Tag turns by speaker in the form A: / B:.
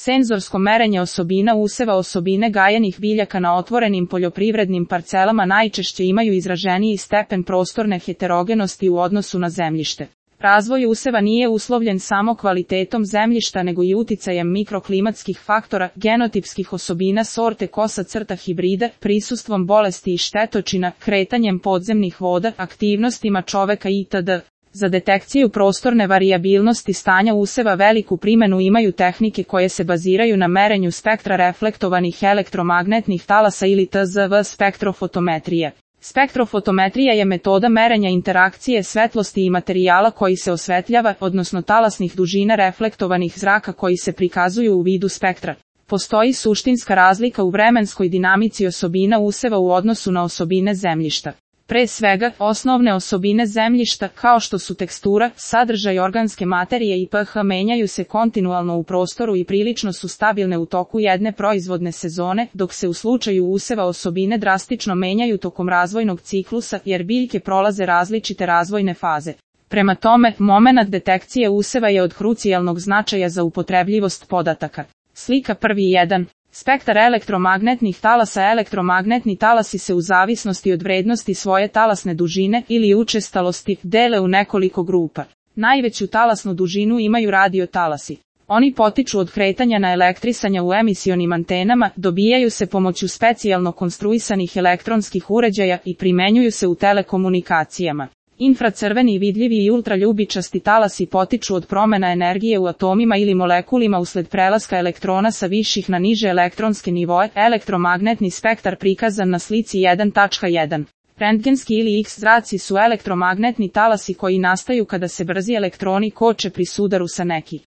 A: Senzorsko merenje osobina useva. Osobine gajenih biljaka na otvorenim poljoprivrednim parcelama najčešće imaju izraženiji stepen prostorne heterogenosti u odnosu na zemljište. Razvoj useva nije uslovljen samo kvalitetom zemljišta nego i uticajem mikroklimatskih faktora, genotipskih osobina sorte _hibrida, prisustvom bolesti i štetočina, kretanjem podzemnih voda, aktivnostima čoveka itd. Za detekciju prostorne varijabilnosti stanja useva veliku primenu imaju tehnike koje se baziraju na merenju spektra reflektovanih elektromagnetnih talasa ili TZV spektrofotometrije. Spektrofotometrija je metoda merenja interakcije svetlosti i materijala koji se osvetljava, odnosno talasnih dužina reflektovanih zraka koji se prikazuju u vidu spektra. Postoji suštinska razlika u vremenskoj dinamici osobina useva u odnosu na osobine zemljišta. Pre svega, osnovne osobine zemljišta, kao što su tekstura, sadržaj organske materije i pH, menjaju se kontinualno u prostoru i prilično su stabilne u toku jedne proizvodne sezone, dok se u slučaju useva osobine drastično menjaju tokom razvojnog ciklusa, jer biljke prolaze različite razvojne faze. Prema tome, momenat detekcije useva je od krucijalnog značaja za upotrebljivost podataka. Slika 1.1. Spektar elektromagnetnih talasa. Elektromagnetni talasi se u zavisnosti od vrednosti svoje talasne dužine ili učestalosti dele u nekoliko grupa. Najveću talasnu dužinu imaju radiotalasi. Oni potiču od kretanja naelektrisanja u emisionim antenama, dobijaju se pomoću specijalno konstruisanih elektronskih uređaja i primenjuju se u telekomunikacijama. Infracrveni, vidljivi i ultraljubičasti talasi potiču od promena energije u atomima ili molekulima usled prelaska elektrona sa viših na niže elektronske nivoe. Elektromagnetni spektar prikazan na slici 1.1. Rentgenski ili X zraci su elektromagnetni talasi koji nastaju kada se brzi elektroni koče pri sudaru sa neki